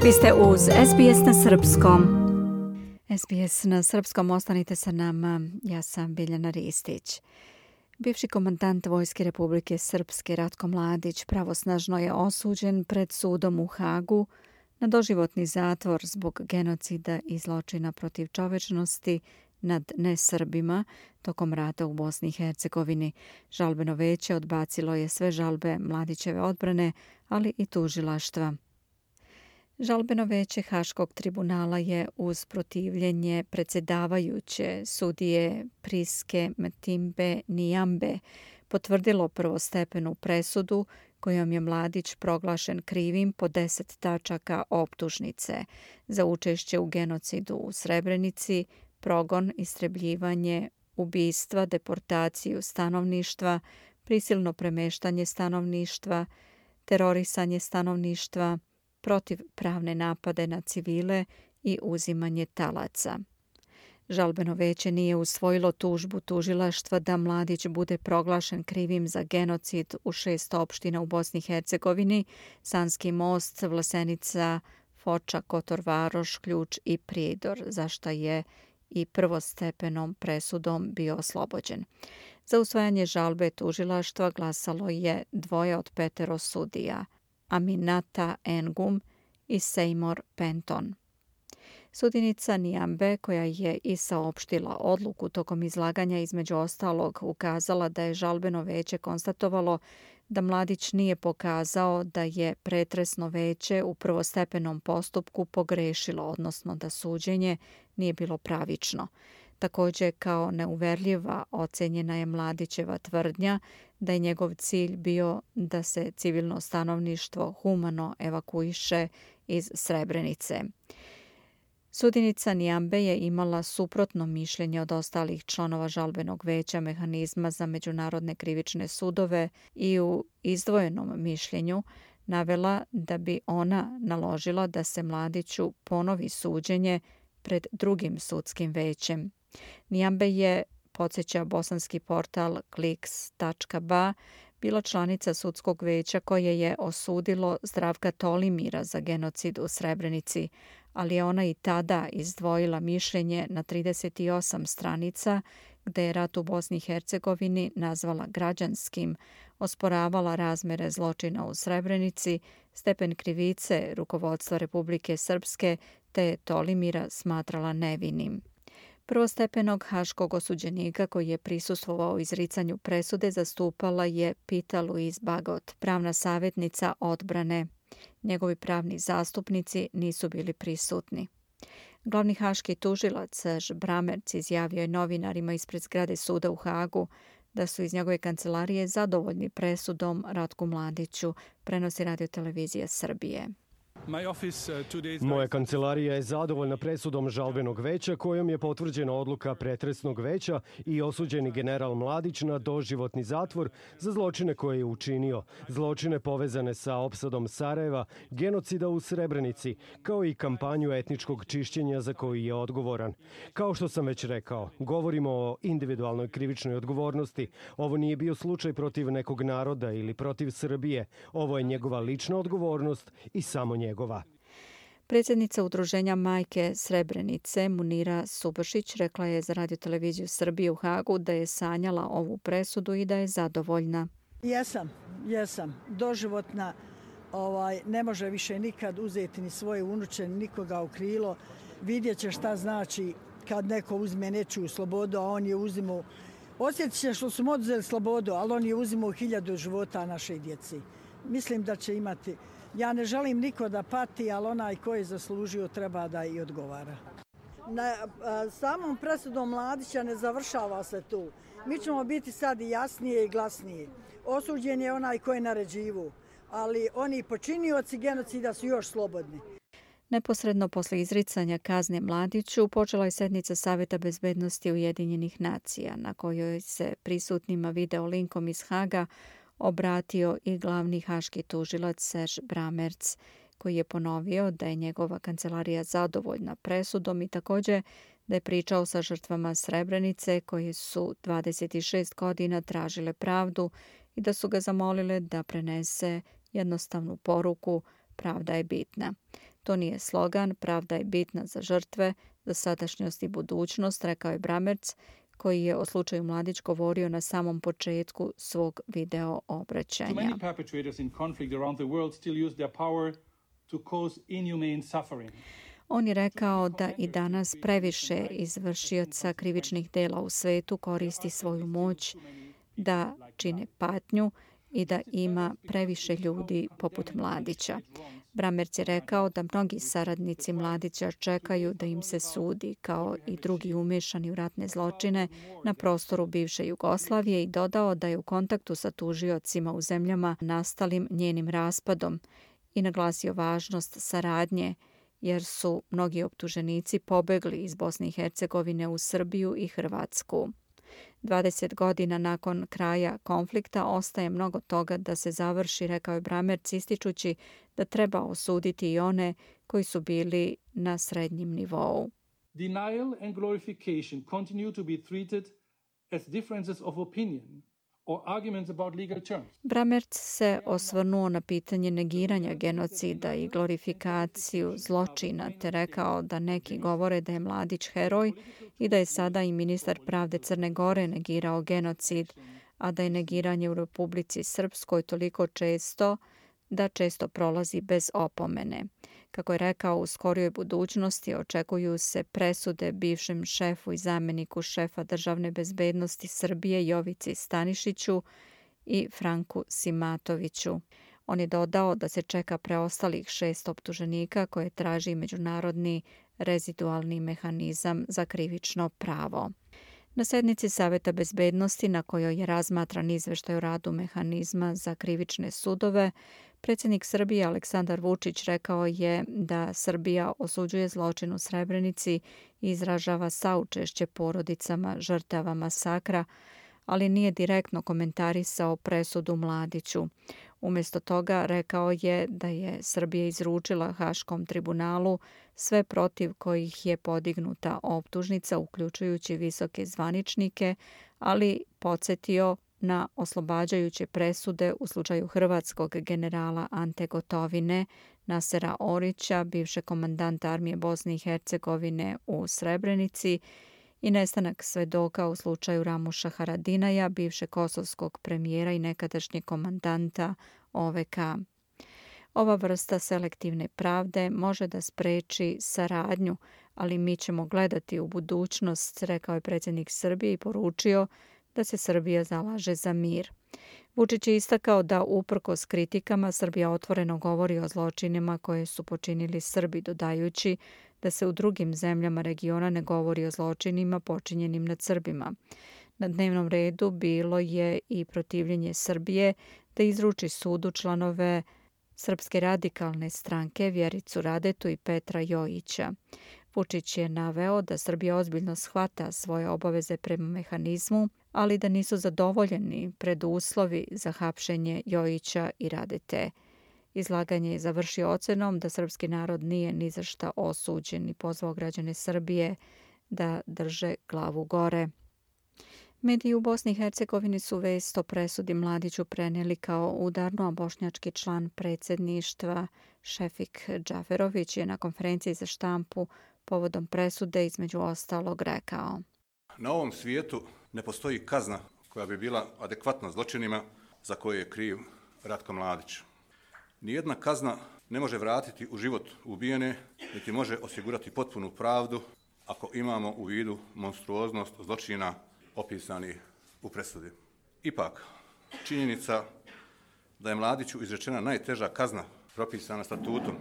Vi ste uz SBS na Srpskom. SBS na Srpskom, ostanite sa nama. Ja sam Biljana Ristić. Bivši komandant Vojske Republike Srpske Ratko Mladić pravosnažno je osuđen pred sudom u Hagu na doživotni zatvor zbog genocida i zločina protiv čovečnosti nad nesrbima tokom rata u Bosni i Hercegovini. Žalbeno veće odbacilo je sve žalbe Mladićeve odbrane, ali i tužilaštva. Žalbeno veće Haškog tribunala je uz protivljenje predsjedavajuće sudije Priske Mtimbe Nijambe potvrdilo prvostepenu presudu kojom je Mladić proglašen krivim po 10 tačaka optužnice za učešće u genocidu u Srebrenici, progon, istrebljivanje, ubistva, deportaciju stanovništva, prisilno premeštanje stanovništva, terorisanje stanovništva, protivpravne napade na civile i uzimanje talaca. Žalbeno veće nije usvojilo tužbu tužilaštva da Mladić bude proglašen krivim za genocid u 6 opština u Bosni i Hercegovini: Sanski Most, Vlasenica, Foča, Kotor Varoš, Ključ i Prijedor, za šta je i prvostepenom presudom bio oslobođen. Za usvajanje žalbe tužilaštva glasalo je 2 od 5 sudija: Aminata Engum i Seymour Penton. Sudinica Nijambe, koja je i saopštila odluku tokom izlaganja, između ostalog ukazala da je žalbeno veće konstatovalo da Mladić nije pokazao da je pretresno veće u prvostepenom postupku pogrešilo, odnosno da suđenje nije bilo pravično. Također, kao neuverljiva ocenjena je Mladićeva tvrdnja da je njegov cilj bio da se civilno stanovništvo humano evakuiše iz Srebrenice. Sudinica Nijambe je imala suprotno mišljenje od ostalih članova žalbenog veća mehanizma za međunarodne krivične sudove i u izdvojenom mišljenju navela da bi ona naložila da se Mladiću ponovi suđenje pred drugim sudskim većem. Nijambe je, podsjeća bosanski portal Kliks.ba, bila članica sudskog veća koje je osudilo Zdravka Tolimira za genocid u Srebrenici, ali je ona i tada izdvojila mišljenje na 38 stranica gde je rat u Bosni i Hercegovini nazvala građanskim, osporavala razmere zločina u Srebrenici, stepen krivice rukovodstva Republike Srpske te Tolimira smatrala nevinim. Prvostepenog haškog osuđenika koji je prisustvovao izricanju presude zastupala je Pita Louise Bagot, pravna savjetnica odbrane. Njegovi pravni zastupnici nisu bili prisutni. Glavni haški tužilac Serge Bramertz izjavio je novinarima ispred zgrade suda u Hagu da su iz njegove kancelarije zadovoljni presudom Ratku Mladiću, prenosi Radio-televizija Srbije. Moja kancelarija je zadovoljna presudom žalbenog veća kojom je potvrđena odluka pretresnog veća i osuđeni general Mladić na doživotni zatvor za zločine koje je učinio, zločine povezane sa opsadom Sarajeva, genocida u Srebrenici, kao i kampanju etničkog čišćenja za koji je odgovoran. Kao što sam već rekao, govorimo o individualnoj krivičnoj odgovornosti. Ovo nije bio slučaj protiv nekog naroda ili protiv Srbije. Ovo je njegova lična odgovornost i samo njegova. Predsjednica Udruženja Majke Srebrenice Munira Subašić rekla je za Radio-televiziju Srbije u Hagu da je sanjala ovu presudu i da je zadovoljna. Jesam. Doživotna, ne može više nikad uzeti ni svoje unuče, nikoga u krilo. Vidjet će šta znači kad neko uzme nečiju slobodu, a on je uzimao. Osjetit će što su mu oduzeli slobodu, ali on je uzimao 1000 života našoj djeci. Mislim da će imati. Ja ne želim niko da pati, ali onaj ko je zaslužio treba da i odgovara. Na samom presudom Mladića ne završava se tu. Mi ćemo biti sad i jasnije i glasnije. Osuđen je onaj ko je naređivo, ali oni počinioci genocida su još slobodni. Neposredno posle izricanja kazne Mladiću počela je sednica Saveta bezbednosti Ujedinjenih nacija, na kojoj se prisutnima video linkom iz Haga obratio i glavni haški tužilac Serge Bramertz, koji je ponovio da je njegova kancelarija zadovoljna presudom i također da je pričao sa žrtvama Srebrenice koje su 26 godina tražile pravdu i da su ga zamolile da prenese jednostavnu poruku: pravda je bitna. To nije slogan, pravda je bitna za žrtve, za sadašnjost i budućnost, rekao je Bramertz, koji je o slučaju Mladić govorio na samom početku svog video obraćanja. On je rekao da i danas previše izvršioca krivičnih dela u svetu koristi svoju moć da čine patnju i da ima previše ljudi poput Mladića. Bramertz je rekao da mnogi saradnici Mladića čekaju da im se sudi, kao i drugi umešani u ratne zločine na prostoru bivše Jugoslavije, i dodao da je u kontaktu sa tužiocima u zemljama nastalim njenim raspadom i naglasio važnost saradnje, jer su mnogi optuženici pobegli iz Bosne i Hercegovine u Srbiju i Hrvatsku. 20 godina nakon kraja konflikta ostaje mnogo toga da se završi, rekao je Bramertz, ističući da treba osuditi i one koji su bili na srednjem nivou. Denial and glorification continue to be treated as differences of opinion or arguments about legal terms. Bramertz se osvrnuo na pitanje negiranja genocida i glorifikaciju zločina, te rekao da neki govore da je Mladić heroj i da je sada i ministar pravde Crne Gore negirao genocid, a da je negiranje u Republici Srpskoj toliko često da često prolazi bez opomene. Kako je rekao, u skorijoj budućnosti očekuju se presude bivšem šefu i zamjeniku šefa državne bezbednosti Srbije Jovici Stanišiću i Franku Simatoviću. On je dodao da se čeka preostalih 6 optuženika koje traži međunarodni rezidualni mehanizam za krivično pravo. Na sednici Saveta bezbednosti, na kojoj je razmatran izveštaj o radu mehanizma za krivične sudove, predsjednik Srbije Aleksandar Vučić rekao je da Srbija osuđuje zločin u Srebrenici i izražava saučešće porodicama žrtava masakra, ali nije direktno komentarisao presudu Mladiću. Umjesto toga rekao je da je Srbija izručila Haškom tribunalu sve protiv kojih je podignuta optužnica, uključujući visoke zvaničnike, ali podsjetio na oslobađajuće presude u slučaju hrvatskog generala Ante Gotovine, Nasera Orića, bivšeg komandanta armije Bosne i Hercegovine u Srebrenici, i nestanak svedoka u slučaju Ramuša Haradinaja, bivšeg kosovskog premijera i nekadašnjeg komandanta OVK. Ova vrsta selektivne pravde može da spreči saradnju, ali mi ćemo gledati u budućnost, rekao je predsjednik Srbije i poručio da se Srbija zalaže za mir. Vučić je istakao da uprkos kritikama Srbija otvoreno govori o zločinima koje su počinili Srbi, dodajući da se u drugim zemljama regiona ne govori o zločinima počinjenim nad Srbima. Na dnevnom redu bilo je i protivljenje Srbije da izruči sudu članove Srpske radikalne stranke Vjericu Radetu i Petra Jojića. Vučić je naveo da Srbija ozbiljno shvata svoje obaveze prema mehanizmu, ali da nisu zadovoljeni preduslovi za hapšenje Jojića i Radete. Izlaganje je završio ocenom da srpski narod nije ni za šta osuđen i pozvao građane Srbije da drže glavu gore. Mediji u Bosni i Hercegovini su vest o presudi Mladiću prenijeli kao udarno, a bošnjački član predsjedništva Šefik Džaferović je na konferenciji za štampu povodom presude između ostalog rekao: Na ovom svijetu ne postoji kazna koja bi bila adekvatna zločinima za koje je kriv Ratko Mladić. Nijedna kazna ne može vratiti u život ubijene, niti može osigurati potpunu pravdu ako imamo u vidu monstruoznost zločina opisanih u presudi. Ipak, činjenica da je Mladiću izrečena najteža kazna propisana statutom,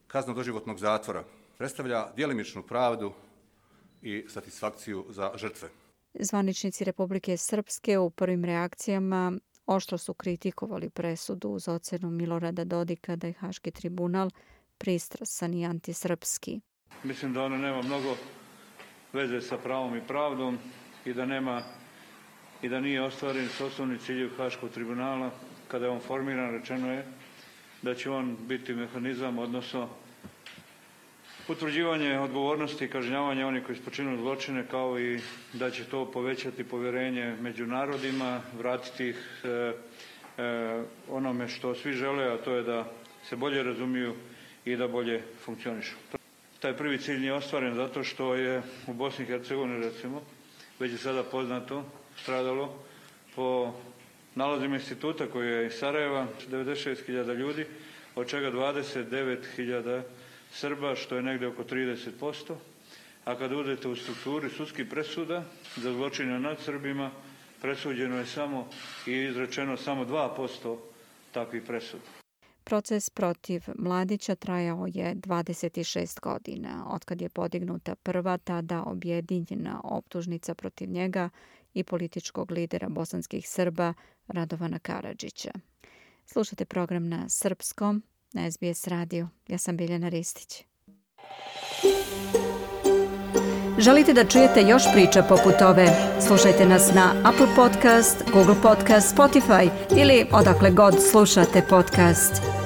kazna doživotnog zatvora, predstavlja djelimičnu pravdu i satisfakciju za žrtve. Zvaničnici Republike Srpske u prvim reakcijama oštro su kritikovali presudu uz ocenu Milorada Dodika da je Haški tribunal pristrasan i antisrpski. Mislim da ono nema mnogo veze sa pravom i pravdom i da nije ostvaren osnovni ciljev Haškog tribunala. Kada je on formiran, rečeno je da će on biti mehanizam, odnosno utvrđivanje odgovornosti i kažnjavanja onih koji su počinili zločine, kao i da će to povećati povjerenje među narodima, vratiti ih onome što svi žele, a to je da se bolje razumiju i da bolje funkcionišu. Taj prvi cilj nije ostvaren zato što je u Bosni i Hercegovini, recimo, već je sada poznato, stradalo po nalazima instituta koji je iz Sarajeva 96.000 ljudi, od čega 29.000 Srba, što je negdje oko 30%. A kada udete u strukturi sudskih presuda za zločine nad Srbima, presuđeno je samo i izrečeno samo 2% takvih presuda. Proces protiv Mladića trajao je 26 godina, otkad je podignuta prva tada objedinjena optužnica protiv njega i političkog lidera bosanskih Srba Radovana Karadžića. Slušate program na srpskom, na SBS radiju. Ja sam Biljana Ristić. Želite da čujete još priča poput ove? Slušajte nas na Apple Podcast, Google Podcast, Spotify ili odakle god slušate podcast.